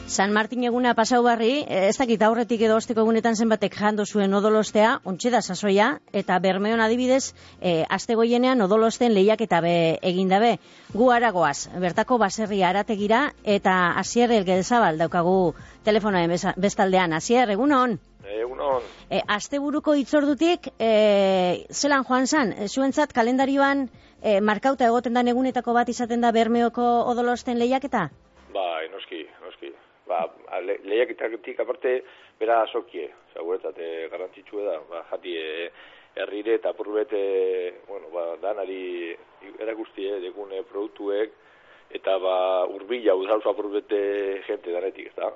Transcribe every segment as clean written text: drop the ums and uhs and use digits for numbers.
San Martin eguna pasau barri, ez dakit aurretik edo osteko egunetan zenbatek jando zuen odolostea, ontxe da sasoia, eta Bermeon adibidez, aste goienean odolosten lehiaketa egin dabe. Gu aragoaz, bertako baserria arategira, eta Asier Elgezabal daukagu telefonoen bestaldean. Asier, egunon? Egunon. Asteburuko hitzordutik, zelan joan zan, zuentzat kalendarioan markauta egoten dan egunetako bat izaten da Bermeoko odolosten lehiaketa? Bai, noski. Lehiaketatik aparte, bera asokie, zaguretzat garrantzitsue da, jati herrire eta apurbete, danari erakustie dekune produktuek, eta urbila udalzo apurbete jente danetik, ez da?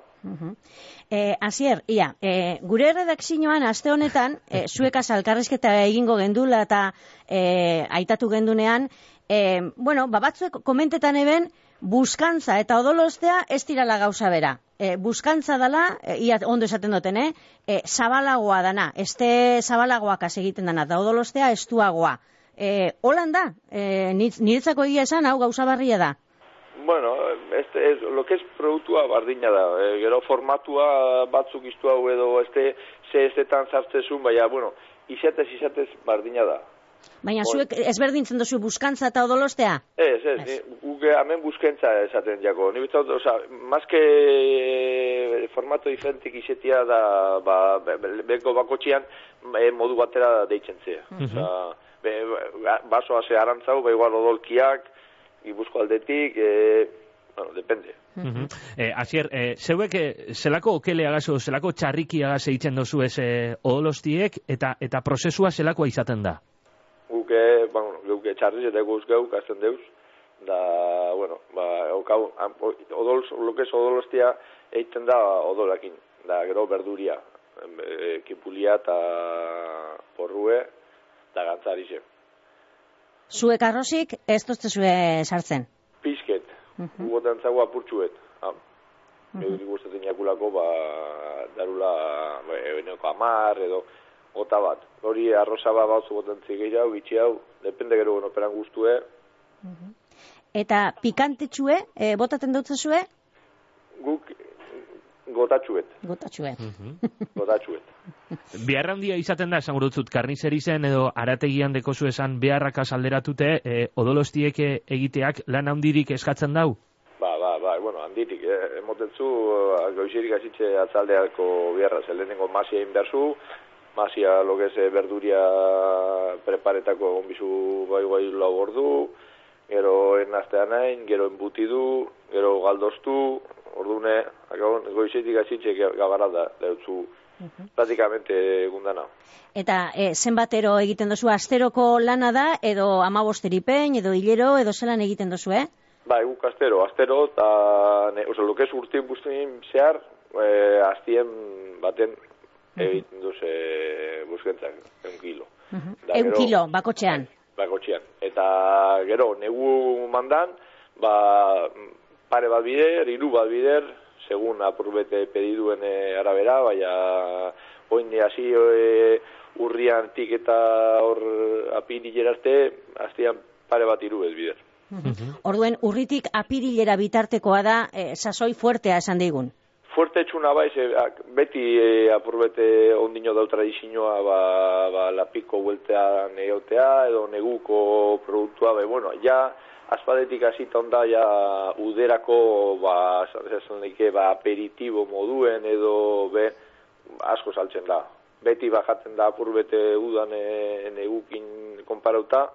Asier, gure redakzioan aste honetan, zuekaz alkarrezketa egingo gendula eta aitatu gendunean, batzuek komentetan eben, buskantza eta odolostea ez dirala gauza bera. Buskantza dala, ondo esaten duten, zabalagoa dana, este zabalagoak egiten dana, da odolostea estuagoa. Holan da, niretzako egia esan, hau gauza barria da. Bueno, lo que es produktua bardina da, gero formatua batzuk iztu hau edo zetan zartzezun, baina, izatez bardina da. Baina zuek ezberdintzen duzu buskantza eta odolostea? Ez, guke hemen buskantza esaten jako. Ni bizta, mazke formato diferentik izetia da, beko bakotxian modu batera deitzen zea. Basoa ze arantzau, igual odolkiak, Gipuzko aldetik, depende. Asier, zeuek zelako okele agazo, zelako txarriki agaze eitzen dozu ez odolostiek, eta prozesua zelakoa izaten da? Geuke txarriz eta eguz geuk azten deuz, da, lokez odolostia eiten da odolakin, da gero berduria, kipulia eta porrue, da gantzarize. Zuek arrozik ez dozte zue sartzen? Pizket, gugotan zago apurtxuet. Geurik gustatzen jakulako, darula, eneko 10 edo, gota bat. Hori arroza batzu botantzik gehiago, gitxi hau, depende gero operan guztue. Eta pikantetxue, botaten dutzezue? Guk gotatxuet. Beharra handia izaten da, esan gurutzut, karnizerizen edo arategian dekozu esan beharrakaz alderatute, odolostiek egiteak lan handirik eskatzen dau? Handirik, emotetzu, goizirik azitze atzaldeako beharra, zelenengo masia inberzu, masia logez berduria preparetako onbizu bai lau ordu, gero enaztean nahin, gero enbutidu, gero galdoztu, ordune, goizetik azitxe gabara da, deutzu pratikamente egundana. Eta zenbatero egiten dozu, asteroko lana da, edo 15 pein, edo hilero, edo zelan egiten dozu, Guk astero, eta lokez urtin buztin zehar, aztien baten egiten duz buskentzak, 1 kilo. 1 kilo, bakotxean? Bakotxean. Eta gero, negu mandan, pare bat bider, 3 bat bider, segun apurbete pediduen arabera, baina oin hasi urrian tik eta hor apirilera arte, aztian pare bat 3 ez bider. Orduen, urritik apirilera bitartekoa da, sasoi fuertea esan digun? Fuerte txuna beti apurbete ondino dau tradizioa, lapiko bueltea neotea, edo neguko produktua, aspadetik hasita onda, uderako, aperitibo moduen, edo, asko saltzen da. Beti bajatzen da apurbete udan negukin konparauta,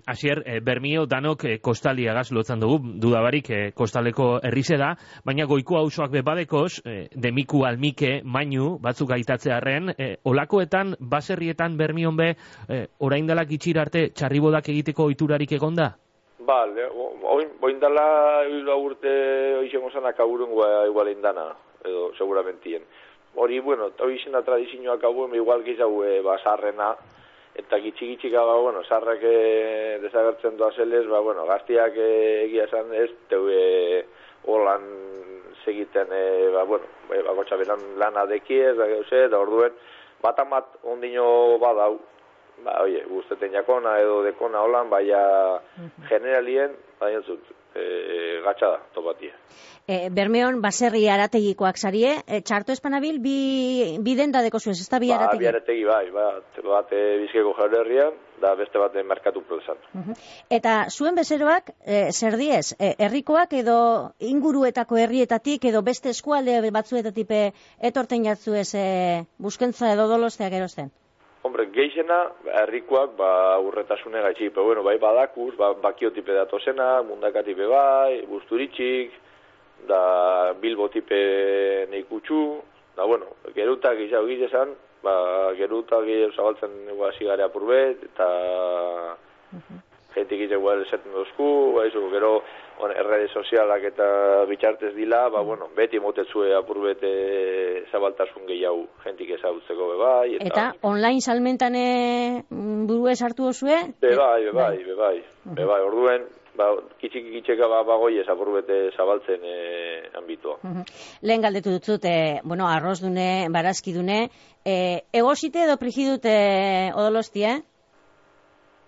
Asier, Bermio danok kostaliagaz lotzen dugu, dudabarik kostaleko herrize da, baina goiko auzoak bebadekoz, demiku almike, mainu, batzuk aitatzearen, olakoetan, baserrietan Bermion be, oraindalak itxir arte txarribodak egiteko ohiturarik egonda? Oindala urte oizengo zanak aburun igual indana, edo seguramentien. Hori, oizena tradizioak aburun, igual gizagu basarrena, eta gitxik sarrak desagertzen doa zelez, gaztiak egia esan ez, teue holan segiten, bakotxa beran lana dekiez, da orduen, bat ondino badau, guzteten jakona edo dekona holan, generalien, gatsa da, topatia. Bermeon baserri arategikoak zarie, txarto espanabil bi denda deko zuez, ez da bi arategi? Bi arategi bat Bizkaiko Jaurerrian, da beste bat merkatu plazan. Eta zuen bezeroak, zer diez, herrikoak edo inguruetako herrietatik edo beste eskualde batzuetatik etorten jatzuez buskentza edo dolosteak erosten? Hombre, geixena, herrikoak, urretasune gaitxik, pero bai badakuz, bakiotipe datozena, mundakatipe bai, busturitxik, da Bilbo tipe neikutxu, da gerutak izau gizezan, gerutak izau zabaltzen hasi gare apurbet, eta jentik izau esaten dozku, gero errede sozialak eta bitxartez dila, beti motetzue apurbet zabaltasun gehiago jentik ezagutzeko bebai. Eta online salmentan buru esartu dozue? Bebai, orduen, kitxika bagoi ezapurbete zabaltzen anbitua. Lehen galdetu dutzut, arrozdune, barazkidune, egosite edo prigidute odolostia?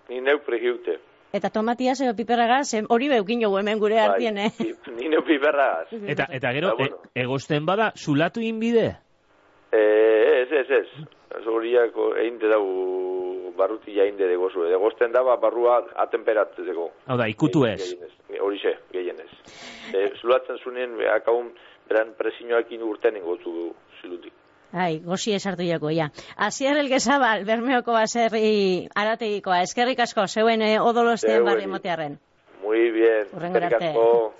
Ni neu prigidute. Eta tomatiaz edo piperragaz, hori beukin jogu hemen gure hartien, Ni neu piperragaz. Eta gero, egosten bada, zulatu inbide? Ez. Horiak egin dugu barrutia inde degozu. Egosten da, barrua atemperatzeko. Hau da, ikutu ez. Horixe, gehienez. Zulatzen zunien, akaun, beran presiñoakin urten ingotu du zilutik. Gozi esartu jako, ja. Asier Elgezabal, Bermeoko baserri arategikoa. Eskerrik asko, zeuen odolosten barri motearren. Muy bien, eskerrik asko.